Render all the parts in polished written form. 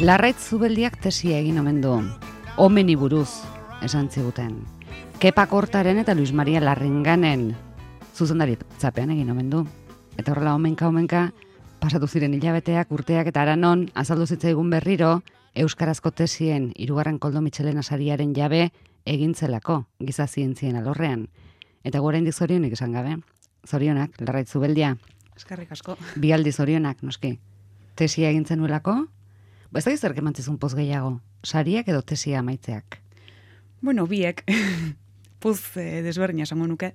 Larraitz Zubeldiak tesia egin omen du. Omeni buruz, esan ziguten. Kepa Kortaren eta Luis Maria Larringanen zuzendari tzapean egin omen du. Eta horrela omenka, pasatu ziren hilabeteak, urteak eta aranon, azaldu zitzaigun berriro, euskarazko tesien 3. Koldo Mitxelena sariaren jabe egintzelako giza zientzien alorrean. Eta oraindik zorionik esan gabe. Zorionak, Larraitz Zubeldia. Eskerrik asko. Bi aldi zorionak, noski. Tesia egintzen nuelako? Ez da gizerk emantzizun poz gehiago, sariak edo tesia amaitzeak? Bueno, biek, puz desberdina esango nuke.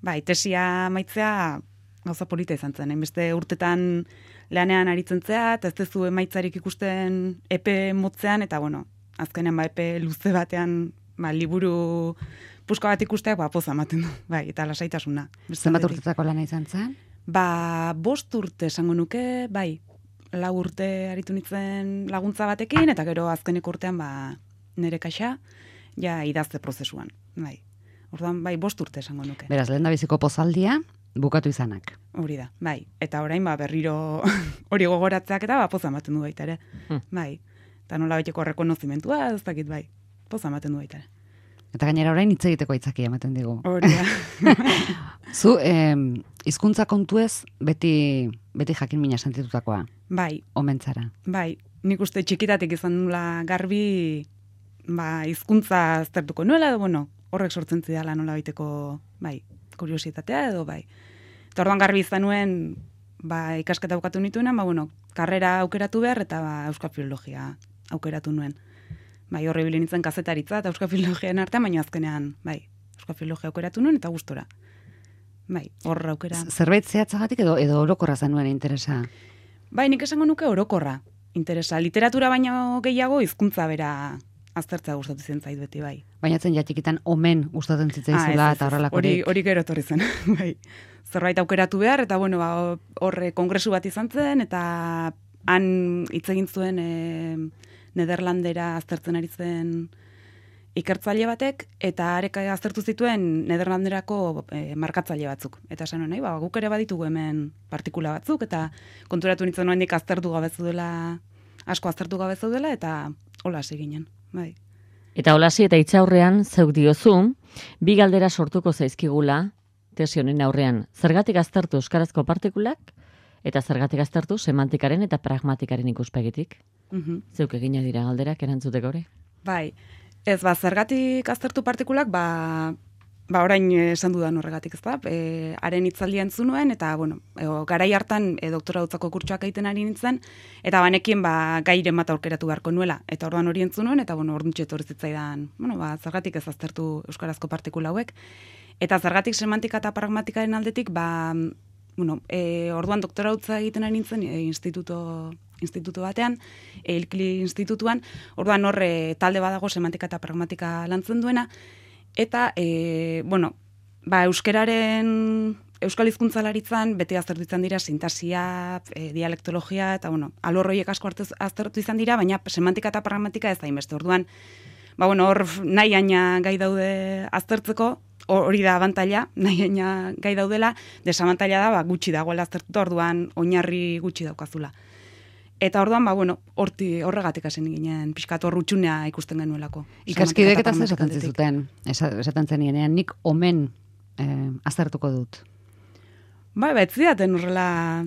Bai, tesia amaitzea gauza polita izan zen. Hainbeste urtetan lanean aritzen zea, eta ez dezu emaitzarik ikusten epe motzean, eta bueno, azkenean epe luze batean liburu puska bat ikusteak poz ematen du. Bai, eta lasaitasuna. Zenbat urtetako lana izan zen? 5 urte esango nuke, bai. 4 urte aritu nintzen laguntza batekin, eta gero azkeneko urtean nire kaxa, ja idazte prozesuan. Bai. Orduan, 5 urte esango nuke. Beraz, lehen da biziko pozaldia, bukatu izanak. Hori da, bai. Eta orain, berriro hori gogoratzeak eta poza ematen du baita ere. Bai. Eta nola baiteko rekonozimentua, ez dakit bai. Poza ematen du baita ere. Eta gainera orain hitz egiteko aitzakia ematen digu. Hori da. Zu, hizkuntza kontuez beti jakin mina sentitutakoa. Bai. Omentzara. Bai. Nik uste txikitatik izan nula garbi hizkuntza aztertuko nuela, edo bueno, horrek sortzen zidala nola baiteko, kuriositatea edo bai. Eta orduan garbi izan nuen, ikasketa bukatu nituena, karrera aukeratu behar eta euskal filologia aukeratu nuen. Horre bilen nintzen kazetaritza eta euskal filologian artean, baina azkenean, euskal filologia aukeratu nuen eta gustora. Horra aukera. Zerbait zehatzagatik edo orokorra zenuen interesa? Nik esango nuke orokorra interesa. Literatura baino gehiago hizkuntza bera aztertzea gustatu zen zait beti, bai. Baina zen jatikitan omen gustatzen zitzaizula eta horrelakorik. Hori gero etorri zen, bai. Zerbait aukeratu behar, eta bueno, horre kongresu bat izan zen, eta han hitz egin zuen Nederlandera aztertzen ari zen ikertzaile batek, eta arek aztertu zituen Nederlanderako markatzaile batzuk. Eta esan nahi, guk ere baditugu hemen partikula batzuk, eta konturatu nintzen noendik asko aztertu gabezu dela, eta hola hasi ginen, bai. Eta holasi eta itxaurrean zeuk diozu, 2 galdera sortuko zaizkigula tesi honen aurrean. Zergatik aztertu euskarazko partikulak, eta zergatik aztertu semantikaren eta pragmatikaren ikuspegitik? Zeuk egina dira galderak erantzuteko hori? Bai, ez zergatik aztertu partikulak, orain esan dudan horregatik, ez da? Haren hitzaldia entzun nuen, eta, garai hartan doktorautzako kurtsoak egiten ari nintzen, eta banekin gairen bat aurkeratu beharko nuela. Eta orduan hori entzun nuen, eta orduntxe etorri zitzaidan, zergatik ez aztertu euskarazko partikula hauek. Eta zergatik semantika eta pragmatikaren aldetik, orduan doktorautza egiten ari nintzen instituto batean, Ilkli institutuan, orduan horre talde badago semantika eta pragmatika lantzen duena, eta, euskal hizkuntzalaritzan beti aztertu izan dira sintaxia, dialektologia, eta, alorroiek asko aztertu izan dira, baina semantika eta pragmatika ez da inbeste. Orduan, hor nahi aina gai daude aztertzeko, hori da abantaila, nahi aina gai daudela, desabantaila da, gutxi dagoela aztertuta, orduan oinarri gutxi daukazula. Eta orduan, horregatik hasi ginen, pixkat horrutxunea ikusten genuelako. Ikaskidek eta esaten zizuten, esaten zenienean, nik omen aztertuko dut. Ez zidaten horrela,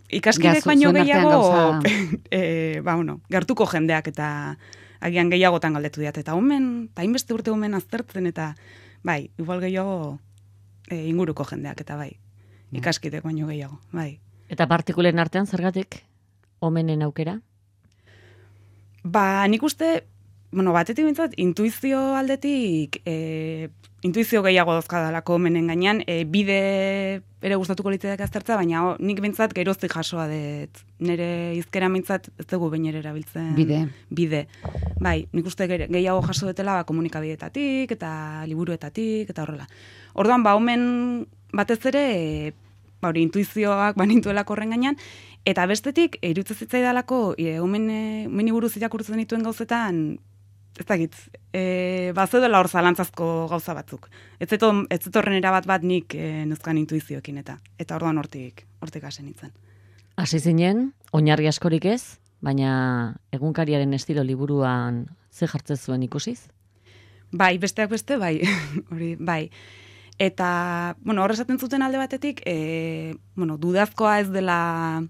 ikaskidek baino gehiago, gertuko jendeak eta agian gehiagotan galdetu diat, eta omen, eta hainbeste urte omen aztertzen, eta igual gehiago inguruko jendeak, eta ikaskidek baino gehiago, Eta partikulen artean zergatik? Omenen aukera? Nik uste, batetik bintzat, intuizio aldetik, intuizio gehiago dauzkadalako omenen gainean, bide ere gustatuko litzeak aztertza, baina nik bintzat geroztik jasoa dut. Nire izkera bintzat ez dugu behin ere erabiltzen. Bide. Nik uste gehiago jaso dutela komunikabidetatik, eta liburuetatik, eta horrela. Orduan, omen batez ere, intuizioak banintuelako horren gainean, eta bestetik, iruditzen zitzaidalako, omeni buruz irakurtzen dituen gauzetan, ez dakit, bazeudela hor zalantzazko gauza batzuk. Ez zetorren erabat bat nik nuzkan intuizioekin eta orduan hortik hasi nintzen. Hasi zinen, oinarri askorik ez, baina egunkariaren estilo liburuan ze jartzen zuen ikusiz? Bai, besteak beste, bai, hori, bai. Eta, bueno, hor esaten zuten alde batetik, dudazkoa ez dela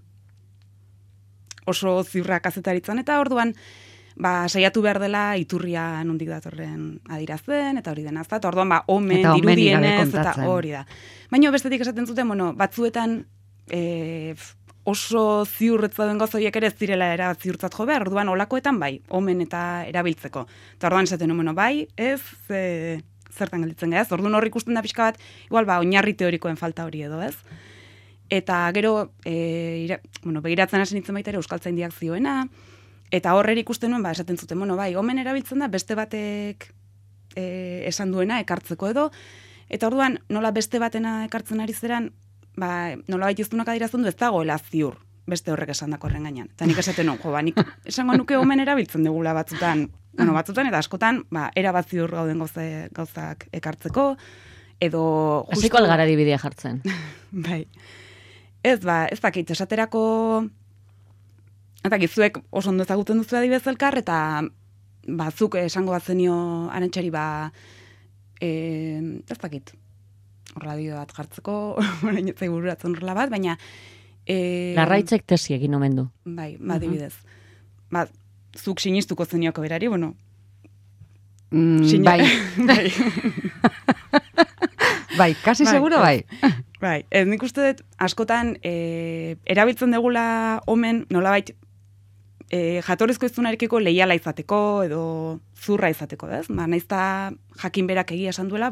oso ziurra kazetaritzan, eta orduan, saiatu behar dela iturria nondik datorren adirazten, eta hori dena, eta orduan, omen, dirudienez, eta hori da. Baina bestetik esaten zuten, batzuetan oso ziurretza duen gozoiek ere ez direla ziurtzat jo behar, orduan olakoetan bai, omen eta erabiltzeko. Eta orduan esaten, bai, ez, zertan gelditzen gara, ez? Orduan hor ikusten da pixka bat, igual oinarri teorikoen falta hori edo, ez? Eta gero, begiratzen hasi nintzen baita ere euskaltzaindiak zioena, eta horrer ikusten nuen, esaten zuten, bai, omen erabiltzen da beste batek esan duena ekartzeko edo, eta orduan nola beste batena ekartzen ari zeran, nola baitiztunak adirazten du ez dagoela ziur, beste horrek esan dako horren gainean. Eta nik esaten nik esango nuke omen erabiltzen dugula batzutan, batzutan eta askotan, erabat ziur gauden gauzak ekartzeko, edo... Hasiko algara dibidea jartzen. Bai. Ez dakit, esaterako... Eta gizuek oso ondo ezagutzen duzu adibidez elkar, eta zuk esango bat zenio arantxari ez dakit, radio bat jartzeko, orain ez bururatzen horrela bat, baina... Larraitzek tesi egin omen du. Bai, adibidez. Zuk sinistuko zenioko berari, bai. Bai, kasi seguro bai. Bai, nik uste dut, askotan, erabiltzen degula omen, nolabait, jatorrizko izunarekiko leiala izateko, edo zurra izateko, ez? Naizta jakin berak egia esan duela,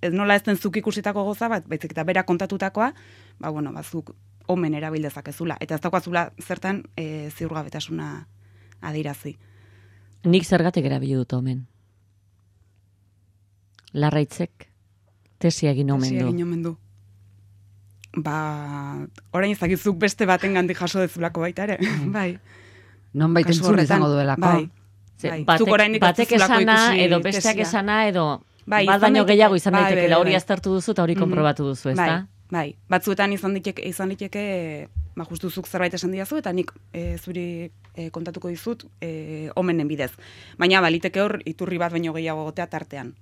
ez nola ez den zuk ikusitako goza bat, baizik eta berak kontatutakoa, zuk omen erabildezakezula. Eta ez dakoazula zertan ziurgabetasuna adirazi. Nik zergatik erabili dut omen. Larraitzek tesia egin omen du. Tesia egin omen du. Orain ezakizuk beste baten gandik jaso dezulako baita ere. Bai. Non baita entzun izango duelako. Bai. Batek esana, edo besteak esana, edo bat baino gehiago izan daitekela hori aztertu duzu eta hori konprobatu duzu, ezta? Bai, batzuetan izan liteke, justuzuk zerbait esan didazu, eta nik zuri kontatuko dizut omenen bidez. Baina baliteke hor iturri bat baino gehiago gotea tartean.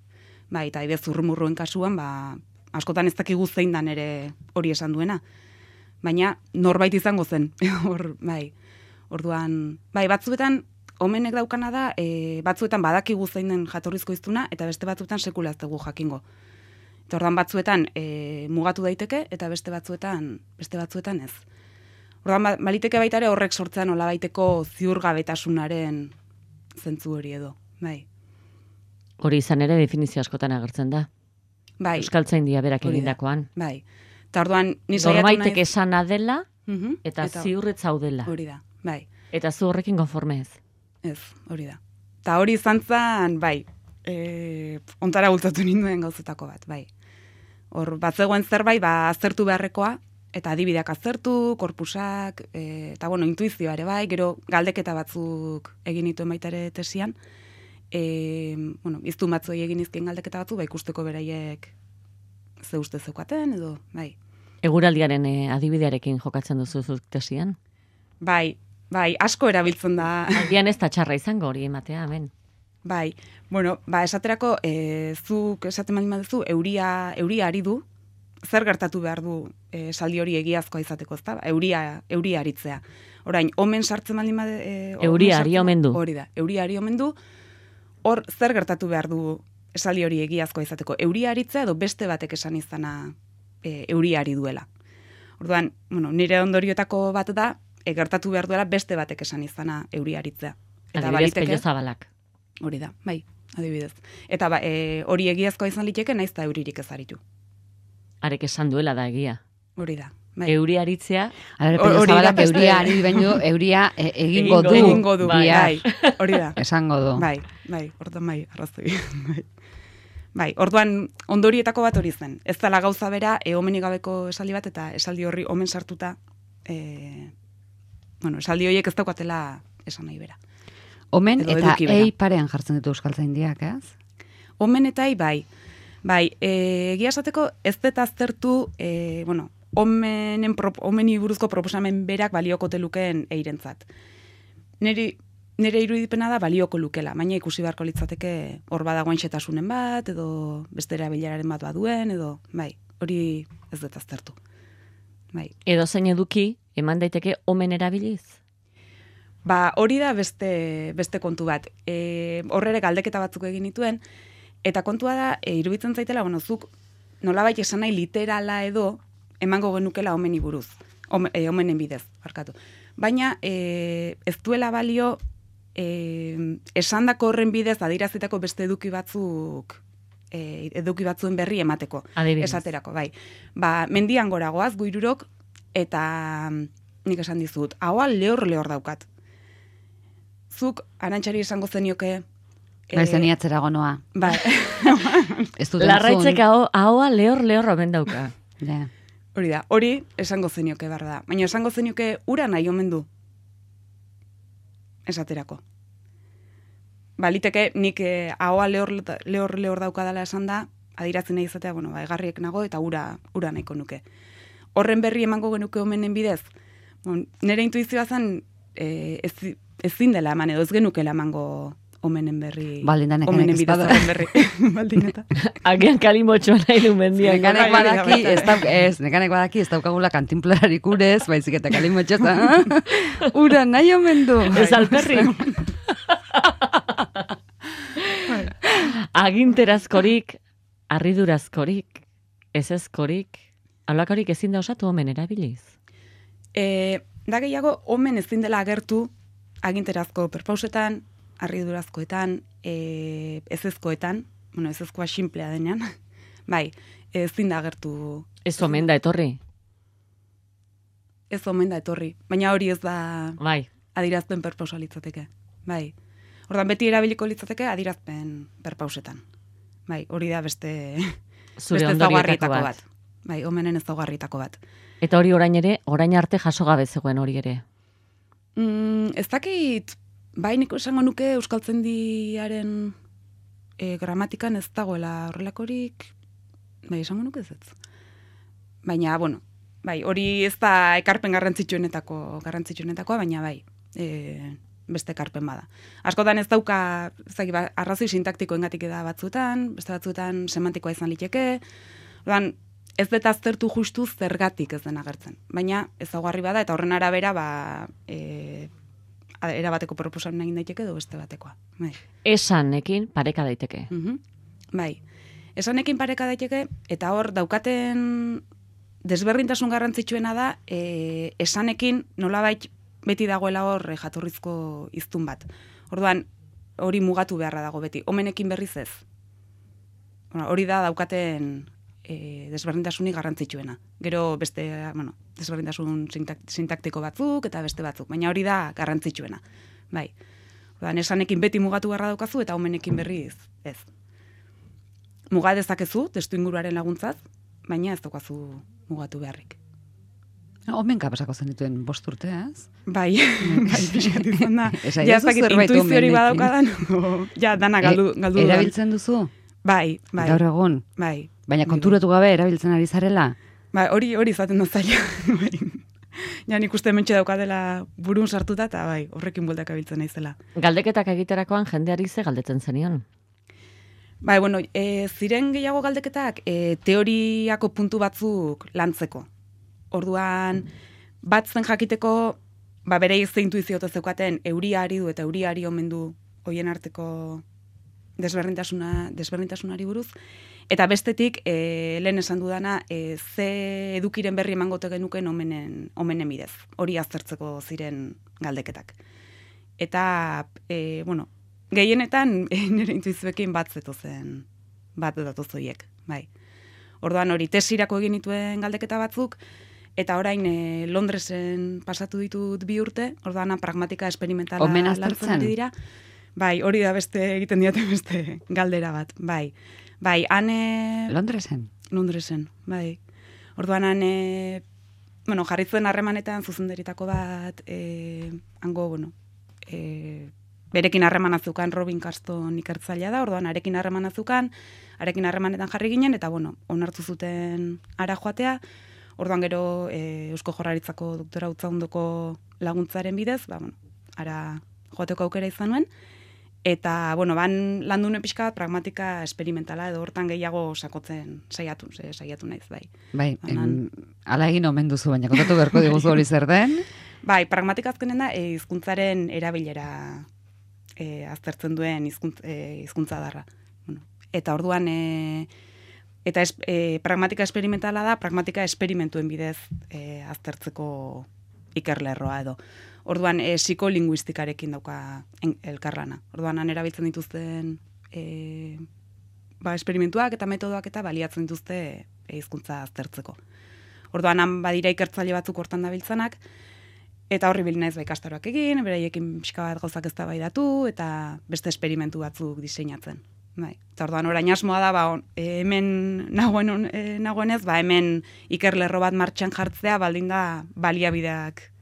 Bai, eta ibez zurrumurruen kasuan, askotan ez dakigu zein dan ere hori esan duena. Baina norbait izango zen, hor, bai. Orduan, bai, batzuetan omenek daukana da, batzuetan badakigu zein den jatorrizko iztuna, eta beste batzuetan sekula ez dugu jakingo. Eta orduan batzuetan mugatu daiteke, eta beste batzuetan ez. Orduan, baliteke baita ere horrek sortzean olabaiteko ziurgabetasunaren zentzu hori edo, bai. Hori izan ere definizio askotan agertzen da. Bai. Euskaltzaindia berak egindakoan. Bai. Eta orduan, ni saiatu naiz... Norbaitek esana dela, eta ziurretz zaudela. Hori da, bai. Eta zu horrekin konforme ez? Ez, hori da. Eta hori izan zen, bai, ontara bultatu ninduen gauzetako bat, bai. Hor, batzegoen zerbait, aztertu beharrekoa, eta adibideak aztertu, korpusak, eta, intuizioa ere bai, gero galdeketa batzuk egin dituen baita ere tesian, iztun batzuei egin izkien galdeketa batzu, ikusteko beraiek ze uste zeukaten, edo, bai. Eguraldiaren adibidearekin jokatzen duzu zuk tesian? Bai, asko erabiltzen da. Aldian ez da txarra izango hori ematea, hemen. Bai, esaterako, zuk esaten baldin baduzu, euria ari du, zer gertatu behar du esaldi hori egiazkoa izateko, ezta? Euria aritzea. Orain, omen sartzen baldin badu... Euria ari omen du. Hori da, euria ari omen du, hor zer gertatu behar du esaldi hori egiazkoa izateko. Euria aritzea edo beste batek esan izana euria ari duela. Orduan, nire ondorioetako bat da, gertatu behar duela beste batek esan izana euria aritzea. Adibidez, Pello Zabalak. Hori da, bai, adibidez. Eta hori egiazkoa izan liteke, naiz da euririk ez aritu. Arek esan duela da egia. Hori da. Bai. Euria aritzea. Pello Zabalak euria ari baino, euria egingo du. Egingo du, bai. Hori da. Esango du. Bai, orduan bai, arrazoi. Bai, orduan ondorietako bat hori zen. Ez dela gauza bera, omenik gabeko esaldi bat, eta esaldi horri omen sartuta, esaldi horiek ez daukatela esan nahi bera. Omen eta ei parean jartzen ditu euskaltzaindiak, ez? Omen eta ei, bai. Bai, egia esateko ez dut aztertu, omeni buruzko proposamen berak balioko telukeen eirentzat. nire irudipena da balioko lukela, baina ikusi beharko litzateke hor badagoen xetasunen bat, edo beste erabileraren bat baduen, edo, bai, hori ez dut aztertu. Bai. Edo zein eduki, eman daiteke omen erabiliz? Ba, hori da beste kontu bat. Horrere galdeketa batzuk egin nituen, eta kontua da, iruditzen zaitela, bueno, zuk nolabait esan nahi literala edo emango genukela omeni buruz, omenen bidez, barkatu. Baina ez duela balio esandako horren bidez adierazitako beste eduki batzuen berri emateko. Adibidez. Esaterako, bai. Ba, mendian gora goaz, guirurok, eta nik esan dizut, haua lehor daukat. Zuk, Arantxari esango zenioke... Bai, zeniatzera gonoa. Bai. Ez dut Larraitzek ahoa lehor omen dauka. Ja. Hori da, hori esango zenioke behar da. Baina esango zenioke ura nahi omen du. Esaterako. Baliteke nik ahoa lehor daukadala esan da, adiratzen nahi izatea, bueno, egarriek nago eta ura nahiko nuke. Horren berri emango genuke omenen bidez. Bon, nire intuizioa zen ezin dela eman, edo ez genukela emango omenen berri. Baldindanek omenen bidez espada. horren berri. Baldineta. Agian kalimotxoa nahi du mendiak. Nekanek badaki ez daukagula kantinplararik urez, baizik eta kalimotxoza. Ura nahi omen du. Ez alperri. Aginterazkorik, harridurazkorik, ezezkorik, alakorik ezin da osatu omen erabiliz. Da gehiago, omen ezin dela agertu aginterazko perpausetan, harridurazkoetan, ezezkoetan, bueno, ezezkoa simplea denean, bai, ezin da agertu. Ez omen da etorri. Ez omen da etorri, baina hori ez da Bai. adirazpen perpausa litzateke, bai. Ordan beti erabiliko litzateke adirazpen perpausetan. Bai, hori da beste ezaugarrietako bat. Bai, omenen ezaugarrietako bat. Eta hori orain arte jaso gabe zegoen hori ere. Ez dakit, bai niko esango nuke euskaltzaindiaren gramatikan ez dagoela horrelakorik, bai esango nuke ez. Baina, bueno, bai, hori ez da ekarpen garrantzitsuenetakoa, baina bai, beste ekarpen bada. Askotan ez dauka, arrazoi sintaktikoengatik da batzuetan, beste batzuetan semantikoa izan liteke, ordan ez dut aztertu justu zergatik ez den agertzen. Baina ezaugarri bada eta horren arabera erabateko proposamen egin daiteke edo beste batekoa. Bai. Esanekin pareka daiteke. Bai. Esanekin pareka daiteke eta hor daukaten desberdintasun garrantzitsuena da esanekin nolabait beti dagoela hor jatorrizko hiztun bat. Orduan hori mugatu beharra dago beti. Omenekin berriz ez. Hori da daukaten desberdintasunik garrantzitsuena. Gero beste, bueno, desberdintasun sintaktiko batzuk eta beste batzuk, baina hori da garrantzitsuena. Bai. Orduan esanekin beti mugatu beharra daukazu eta omenekin berriz ez. Muga dezakezu testu inguruaren laguntzaz, baina ez daukazu mugatu beharrik. Omenka pasako zen dituen 5 urte, ez? Bai, pixkat izan da. Ja, ez dakit intuizio hori badaukadan, ja, dana galdu. Erabiltzen duzu? Bai. Gaur egun? Bai. Baina konturatu gabe erabiltzen ari zarela? Bai, hori izaten da zaila. Ja, nik uste mentxe daukadela burun sartuta, eta bai, horrekin bueltak abiltzen naizela. Galdeketak egiterakoan jendeari ze galdetzen zenion? Bai, bueno, ziren gehiago galdeketak teoriako puntu batzuk lantzeko. Orduan, bat zen jakiteko, bere izte intuiziote zeukaten, euriari du eta euriari omen du hoien arteko desberdintasunari buruz. Eta bestetik, lehen esan dudana, ze edukiren berri emangote genuken omenen bidez. Hori aztertzeko ziren galdeketak. Eta, bueno, gehienetan nire intuizioekin bat datozoiek, bai. Orduan hori tesirako egin dituen galdeketa batzuk, eta orain Londresen pasatu ditut 2 urte, orduan pragmatika esperimentala lantzen ari dira. Bai, hori da beste egiten diaten beste galdera bat, bai. Bai, hane... Londresen? Londresen, bai. Orduan hane, bueno, jarritzen harremanetan zuzenderitako bat, hango, bueno, berekin harremanazukan Robin Carston ikertzailea da, orduan arekin harremanazukan, arekin harremanetan jarri ginen, eta bueno, onartu zuten ara joatea, orduan gero Eusko Jaurlaritzako doktora Utzaundoko laguntzaren bidez, ba, bueno, ara joateko aukera izan nuen, eta, bueno, ban landu nuen pixka bat pragmatika esperimentala, edo hortan gehiago sakotzen saiatu naiz, bai. Bai, ala egin omen duzu, baina kontatu beharko diguzu hori zer den? Bai, pragmatika azkenen da, hizkuntzaren erabilera aztertzen duen hizkuntza darra. Bueno, eta orduan, pragmatika esperimentala da, pragmatika esperimentuen bidez aztertzeko ikerlerroa edo. Orduan, psikolinguistikarekin dauka elkarlana. Orduan, han erabiltzen dituzten esperimentuak eta metodoak eta baliatzen dituzte hizkuntza aztertzeko. Orduan, han badira ikertzaile batzuk hortan dabiltzanak, eta horri bilinaiz ikastaroak egin, beraiekin pixka bat gauzak eztabaidatu eta beste esperimentu batzuk diseinatzen. Bai. Eta orduan orain asmoa da, hemen nagoenez, hemen ikerlerro bat martxan jartzea baldin da baliabideak.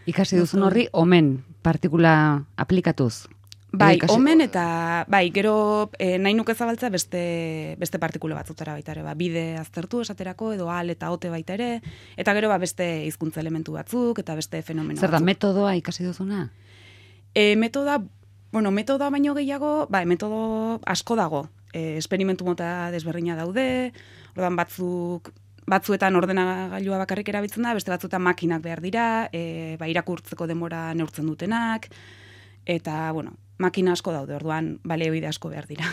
Ikasi duzun horri, omen partikula aplikatuz? Bai, omen eta, gero nahi nuke zabaltzea beste partikula batzutara baita ere, bide aztertu esaterako, edo al eta ote baita ere, eta gero beste hizkuntza elementu batzuk, eta beste fenomeno batzuk. Zer da, metodoa ikasi duzuna? Metodoa baino gehiago, metodo asko dago. Esperimentu mota desberdina daude, ordan batzuetan ordenagailua bakarrik erabiltzen da, beste batzuetan makinak behar dira, irakurtzeko denbora neurtzen dutenak, eta, makina asko daude, orduan baliabide asko behar dira.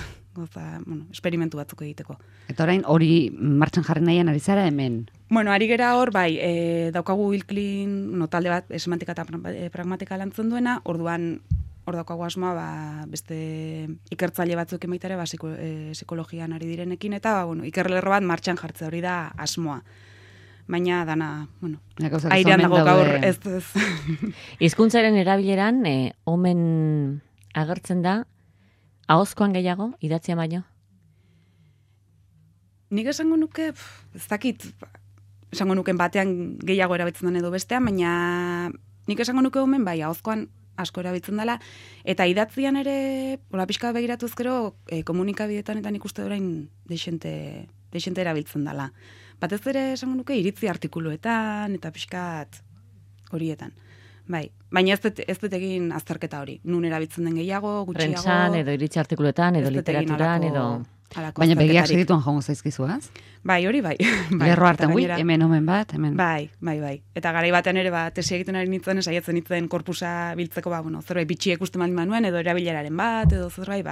Esperimentu batzuk egiteko. Eta orain hori martxan jarri nahian ari zara hemen? Ari gera hor, daukagu Ilklin, talde bat semantika eta pragmatika lantzen duena, orduan hor daukagu asmoa, beste ikertzaile batzuk emaitare, psikologian ari direnekin, eta, ikerlerro bat martxan jartzea hori da asmoa. Baina dana, airean dago gaur, ez. Hizkuntzaren erabileran, omen agertzen da, ahozkoan gehiago, idatzian baino? Nik esango nuke, ez dakit, esango nuken batean gehiago erabiltzen den edo bestean, baina nik esango nuke omen, ahozkoan asko erabiltzen dela, eta idatzian ere, pixka begiratuz gero, komunikabideetan eta nik uste orain deixente erabiltzen dela. Batez ere esango nuke iritzi artikuluetan eta pixkat horietan. Baina ez dut egin azterketa hori. Nun erabiltzen den gehiago, gutxiago. Prentsan, edo iritzi artikuluetan, edo literaturan, edo... Baina begiak segituan jongo zaizkizuaz? Hori bai. Lerro hartan, hemen omen bat, hemen. Bai. Eta garai batean ere, tesi egiten ari nintzen, saiatzen nintzen korpusa biltzeko, zerbait bitxiek uste maldin manuen, edo erabileraren bat, edo zerbait,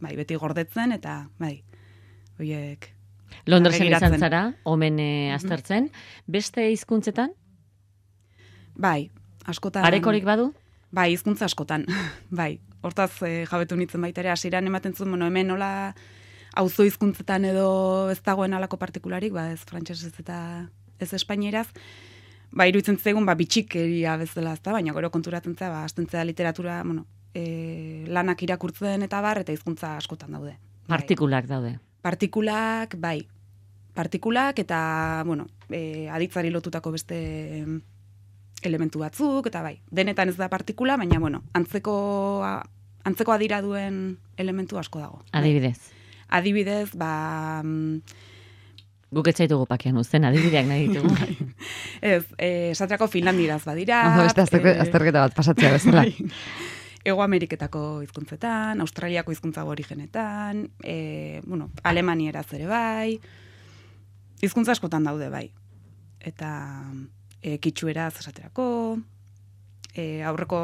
beti gordetzen, eta, horiek... Londresen izan zara, omen aztertzen. Beste hizkuntzetan? Bai, askotan. Arekorik badu? Bai, hizkuntza askotan. Bai, hortaz jabetu nintzen baita ere, hasieran ematen zuen, hemen nola auzo hizkuntzetan edo ez dagoen alako partikularik, ez frantsesez eta ez espainieraz, iruditzen zaigun, bitxikeria bezala, baina gero konturatzen zea, hastentzea literatura, lanak irakurtzen eta eta hizkuntza askotan daude. Partikulak daude. Partikulak, Partikulak eta, aditzari lotutako beste elementu batzuk, eta denetan ez da partikula, baina, antzeko adira duen elementu asko dago. Adibidez? Adibidez, Guk etzaitugu pakean uzten, adibideak nahi ditugu. Ez, esaterako Finlandiraz badira. Azterketa bat pasatzea bezala. Ego Ameriketako hizkuntzetan, Australiako hizkuntza aborigenetan, Alemanieraz ere bai, hizkuntza askotan daude bai. Eta kitxueraz esaterako, aurreko,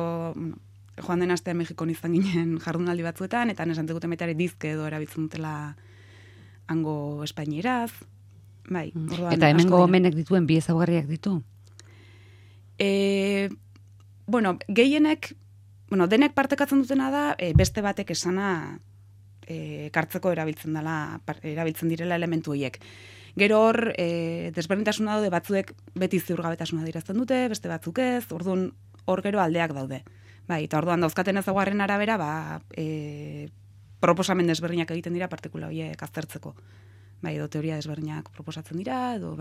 joan den astean Mexikon izan ginen jardunaldi batzuetan, eta nesan deguten baita ere dizke edo erabiltzen dutela hango espainieraz. Bai, eta hemengo omenek dituen bi ezaugarriak ditu? Gehienek, denek partekatzen dutena da, beste batek esana kartzeko erabiltzen direla elementu horiek. Gero hor, desberdintasuna daude, batzuek beti ziurgabetasuna dirazten dute, beste batzuk ez, orduan hor gero aldeak daude. Eta orduan dauzkaten ezaugarren arabera, proposamen desberdinak egiten dira partikula horiek aztertzeko. Edo teoria desberdinak proposatzen dira, edo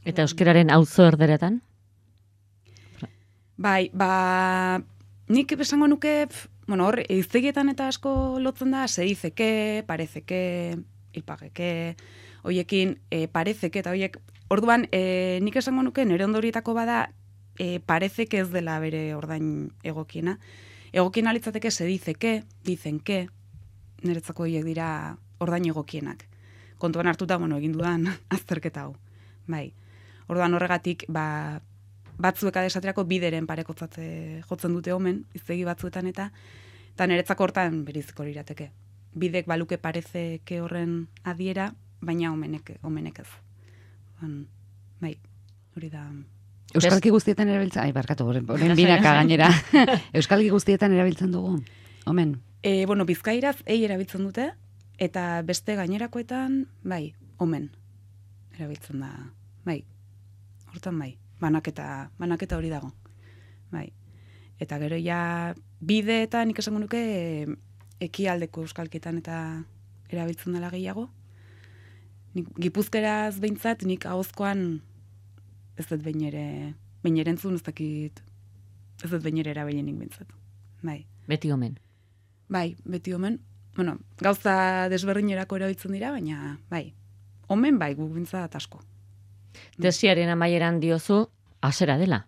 Eta euskararen auzo erderetan? Nik esango nuke, hor, hiztegietan eta asko lotzen da, se dizeke, parezeke, ilpageke, hoiekin, parezeke, eta hoiek, orduan, nik esango nuke, nire ondorietako bada, parezeke ez dela bere ordain egokiena, egokien alitzateke se dice que, dicen que, niretzako horiek dira ordain egokienak. Kontuan hartuta, egin dudan azterketa hau. Bai. Orduan horregatik, batzuek adesaterako bideren parekotzatze jotzen dute omen, iztegi batzuetan eta niretzako hortan beriziko lirateke. Bidek baluke parece que horren adiera, baina omenek ez. Bai, hori da. Euskalki guztietan erabiltzen, barkatu, horren binaka gainera. Euskalki guztietan erabiltzen dugu, omen. Bizkairaz erabiltzen dute, eta beste gainerakoetan, bai, omen erabiltzen da, bai, hortan bai, banaketa hori dago, bai. Eta gero ja bideetan nik esango nuke ekialdeko euskalketan eta erabiltzen dela gehiago. Gipuzkeraz behintzat, nik ahozkoan ez dut behin ere entzun, ez dakit, ez dut behin ere erabilienik behintzat. Bai. Beti omen. Bai, beti omen. Gauza desberdinerako erabiltzen dira, baina bai. Omen bai, guk behintzat asko. Tesiaren amaieran diozu, hasera dela.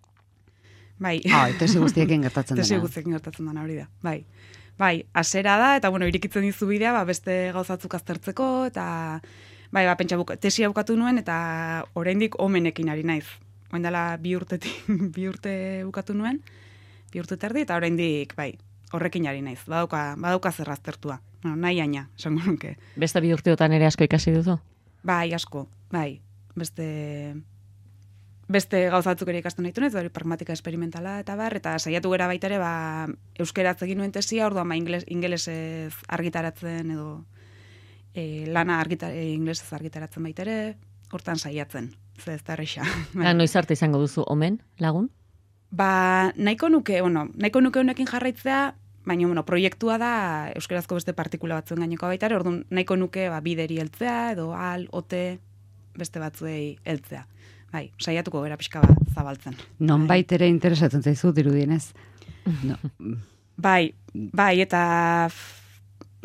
Bai. Tesi guztiekin gertatzen dena. Tesi guztiekin gertatzen dena hori da, bai. Bai, hasera da, eta irikitzen dizu bidea, beste gauzatzuk aztertzeko, eta pentsa tesia bukatu nuen, eta oraindik omenekin ari naiz. Oen dela bi urte bukatu nuen, 2 urte terdi, eta oraindik, horrekin ari naiz. Badauka zer aztertua. Nahi aina, esango nuke. Beste 2 urteotan ere asko ikasi duzu? Bai, asko, bai. Beste gauzatzuk ere ikasten nahi hori pragmatika esperimentala eta eta saiatu gera baita ere, euskeraz egin nuen tesia, orduan ingelesez argitaratzen edo lana ingelesez argitaratzen baita ere, hortan saiatzen. Ez da erresa. Noiz arte izango duzu omen, lagun? Nahiko nuke honekin jarraitzea, baina proiektua da euskerazko beste partikula batzuen gaineko baita ere, orduan nahiko nuke bideri heltzea edo ote beste batzuei heltzea. Bai, saiatuko gara pixka bat zabaltzen. Nonbait ere interesatzen zaizu dirudienez. No. Bai, eta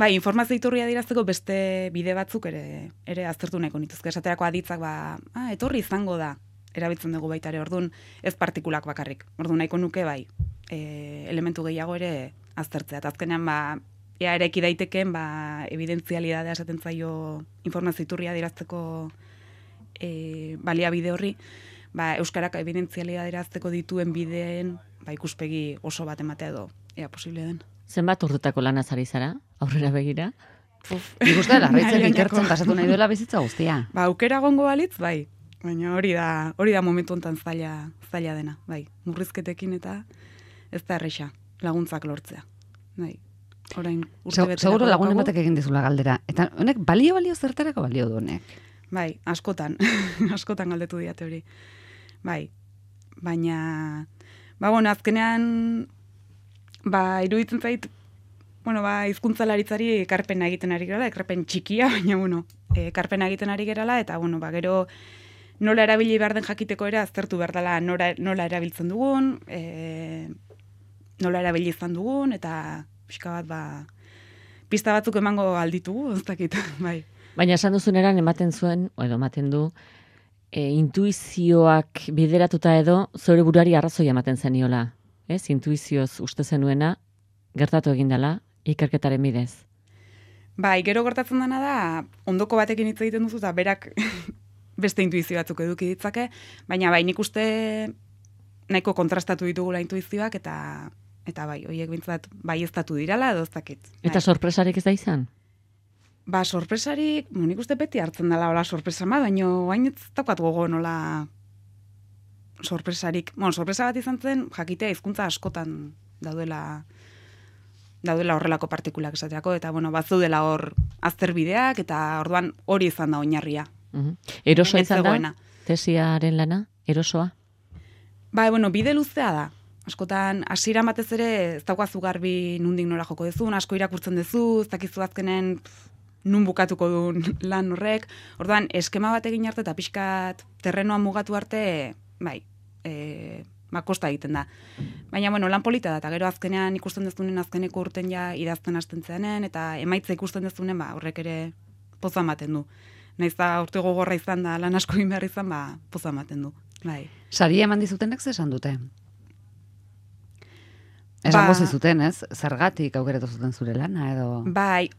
informazio iturria dirazteko beste bide batzuk ere aztertu nahiko nituzke. Esaterako aditzak, etorri izango da, erabiltzen dugu baita ere, orduan ez partikulak bakarrik. Orduan nahiko nuke, elementu gehiago ere aztertzea. Eta azkenean, ere eki daiteken, evidentzialidadea esaten zaio informazio iturria dirazteko baliabide horri, euskarak evidentzialidadea dirazteko dituen bideen, ikuspegi oso bat ematea edo, ea posible den. Zenbat urtetako lanaz ari zara, aurrera begira? Nik uste larraitzen ikertzen pasatu nahi duela bizitza guztia. Aukera gongo balitz, baina hori da momentu honetan zaila dena, murrizketekin eta ez da erresa, laguntzak lortzea. Orain urte beterako. Seguro lagunen batek egin dizula galdera. Eta honek balio zertarako balio du honek? Askotan galdetu diate hori. Baina, azkenean, iruditzen zait, hizkuntzalaritzari ekarpena egiten ari gerala, ekarpen txikia, baina, ekarpena egiten ari gerala, eta, gero nola erabili behar den jakiteko ere, aztertu behar dela nola erabiltzen dugun, nola erabili izan dugun, eta pixka bat, pista batzuk emango alditugu, ez dakit, Baina esan duzuneran ematen du, intuizioak bideratuta edo, zure buruari arrazoia ematen zeniola. Ez, intuizioz uste zenuena, gertatu egin dela, ikerketaren bidez. Gero gertatzen dena da, ondoko batekin hitz egiten duzu, eta berak beste intuizio batzuk eduki ditzake, baina nik uste nahiko kontrastatu ditugula intuizioak, eta horiek bintzat ez datu dirala, edo ez dakit. Eta sorpresarik ez da izan? Sorpresarik, nik uste beti hartzen dela hola sorpresa bat, baina hain ez daukat gogo nola sorpresarik. Sorpresa bat izan zen, jakitea hizkuntza askotan daudela horrelako partikulak esateako, eta bazaudela hor azterbideak, eta orduan hori izan da oinarria. Erosoa izan da, tesiaren lana, erosoa? Bide luzea da. Askotan, hasiera batez ere, ez daukazu garbi nundik nora joko dezun, asko irakurtzen dezu, ez dakizu azkenen nun bukatuko duen lan horrek. Orduan, eskema bat egin arte eta pixkat terrenoan mugatu arte, kosta egiten da. Baina, lan polita da, eta gero azkenean ikusten dezunen azkeneko urten ja idazten hasten zeanen, eta emaitza ikusten dezunen, horrek ere poza ematen du. Naiz da urte gogorra izan da, lan asko egin behar izan, poza ematen du. Saria eman dizutenek ze esan dute? Esango zizuten, ez? Zergatik aukeratu zuten zure lana, edo... Bai,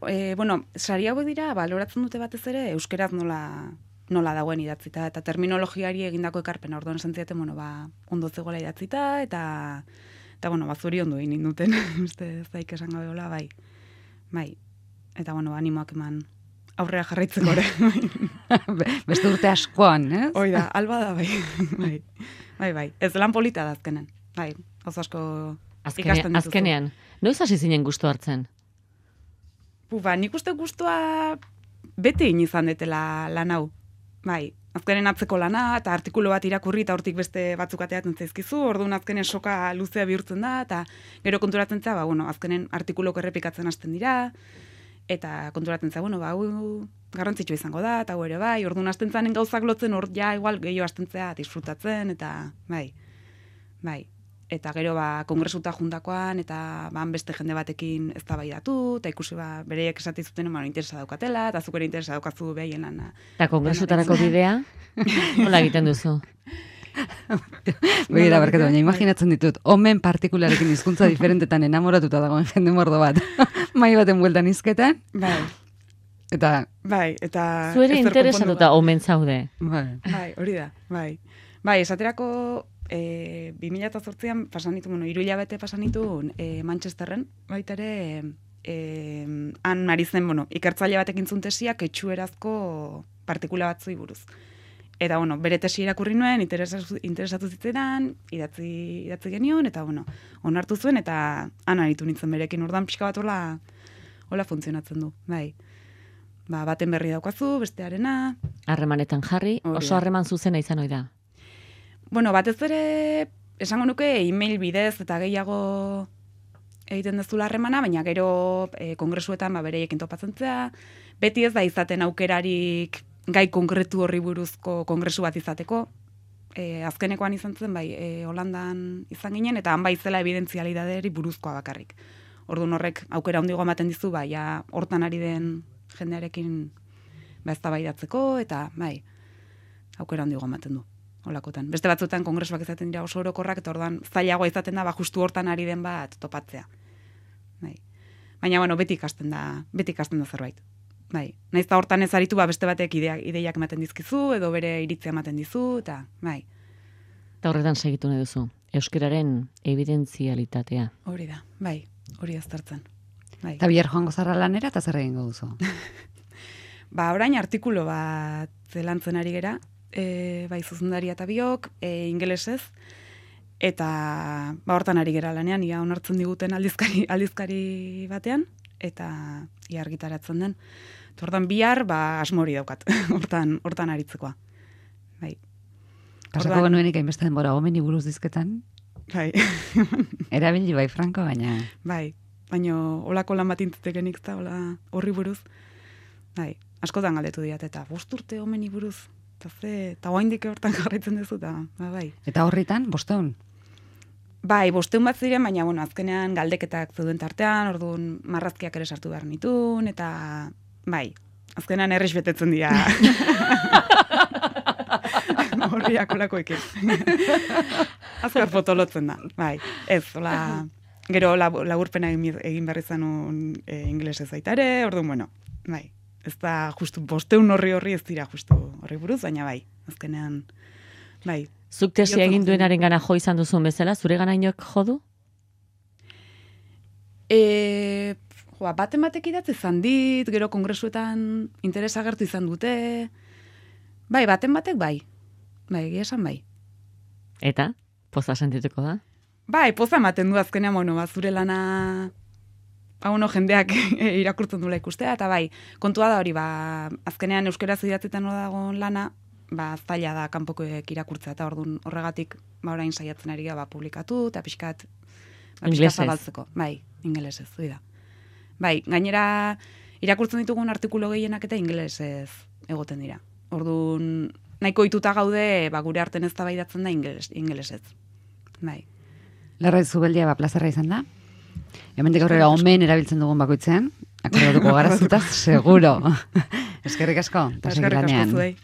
sari hauek dira, baloratzen dute batez ere, euskeraz nola dagoen idatzita, eta terminologiari egindako ekarpena, orduan esan zidaten, ondo zegoela idatzita, eta zuri ondo egin duten, uste zaik esan gabe hola, bai. Eta, animoak eman aurrera jarraitzeko ere. Beste urte askoan, ez? Hoi da, alba da, bai. Ez lan polita da azkenen, bai, oso asko ikasten dituzu. Azkenean, noiz hasi zinen gustu hartzen? Nik uste gustua beti izan detela lan hau, bai. Azkenen atzeko lana, eta artikulu bat irakurri, eta hortik beste batzuk ateatzen zaizkizu, orduan azkenen soka luzea bihurtzen da, eta gero konturatzen za, azkenen artikulok errepikatzen hasten dira, eta konturatzen za, hau garrantzitsu izango da, eta hau ere bai, orduan hasten zanen gauzak lotzen, hor ja igual gehiago hasten zea disfrutatzen, eta bai. Eta gero kongresuta juntakoan, eta beste jende batekin eztabaidatu, eta ikusi bereiek esate zuten, interesa daukatela, eta zuk ere interesa daukazu behaien lana. Eta kongresutarako bidea, nola egiten duzu? Begira, barkatu, baina imaginatzen ditut, omen partikularekin hizkuntza diferentetan enamoratuta dagoen jende mordo bat, mai baten bueltan izketan. Bai. Eta... Zuere interesatuta omen zaude. Bai, hori da, bai. Bai, esaterako... 2008an pasanitu, 3 hilabete pasanitu Manchesterren, baita ere han ari zen, ikertzaile batekin zuen tesiak etxuerazko partikula batzui buruz. Eta, bere tesi irakurri nuen, interesatu zitzeran, idatzi genion, eta, onartu zuen, eta han aritu nintzen berekin, ordan pixka bat hola funtzionatzen du, bai. Baten berri daukazu, bestearena. Harremanetan jarri, oso harreman zuzena izan ohi da. Batez ere, esango nuke, e-mail bidez eta gehiago egiten dezula harremana, baina gero kongresuetan bereiekin topatzen zea, beti ez da izaten aukerarik gai konkretu horri buruzko kongresu bat izateko. Azkenekoan izan zen, Holandan izan ginen, eta han zela evidentzialidaderi buruzkoa bakarrik. Orduan horrek aukera handigo ematen dizu, hortan ari den jendearekin eztabaidatzeko, eta aukera handigo ematen du. Olakotan. Beste batzuetan kongresuak izaten dira oso orokorrak, eta orduan zailagoa izaten da, justu hortan ari den bat topatzea. Baina, beti ikasten da zerbait. Naiz eta hortan ez aritu, beste batek ideiak ematen dizkizu, edo bere iritzia ematen dizu, eta Eta horretan segitu nahi duzu, euskararen evidentzialitatea. Hori da, hori aztertzen. Eta bihar joango zarra lanera, eta zer egingo duzu? Orain artikulu bat lantzen ari gera, zuzendaria eta biok, ingelesez, eta hortan ari gera lanean, ia onartzen diguten aldizkari batean, eta ia argitaratzen den. Hortan bihar, asmori daukat, hortan aritzekoa. Pasako genuenik hainbeste denbora omeni buruz dizketan? Erabili Franko, baina... Baina holako lan bat intzutekenik eta horri buruz. Askotan galdetu diat, eta 5 urte omeni buruz. Eta oaindik hortan jarraitzen duzu, Eta horritan, 500? 500 bat ziren, baina, azkenean galdeketak zeuden tartean, orduan marrazkiak ere sartu behar nitun, eta, azkenean errex betetzen dira. Horriak olakoekin. Azkar fotolotzen da, ez, gero laburpena egin behar izan ingelesez baita ere, orduan, ez da justu 500 horri ez dira justu horri buruz, baina azkenean, Zuk tesia egin duenaren gana jo izan duzun bezala, zure gana inoek jo du? Batek idatzi izan dit, gero kongresuetan interesa agertu izan dute, baten batek egia esan Eta, poza sentituko da? Poza ematen du azkenean, zure lana... jendeak irakurtzen dula ikustea, eta kontua da hori, azkenean euskeraz idatzetan dagoen lana, zaila da kanpokoek irakurtzea, eta orduan horregatik orain saiatzen ari gara publikatu, eta pixkat zabaltzeko. Ingelesez, hori da. Gainera, irakurtzen ditugun artikulu gehienak eta ingelesez egoten dira. Orduan, nahiko ituta gaude, gure arten eztabaidatzen da ingelesez. Larra Zubeldia plazarra izan da? Hemendik aurrera omen erabiltzen dugun bakoitzean, akordatuko gara zutaz, seguro. Eskerrik asko. Eskerrik asko zuei.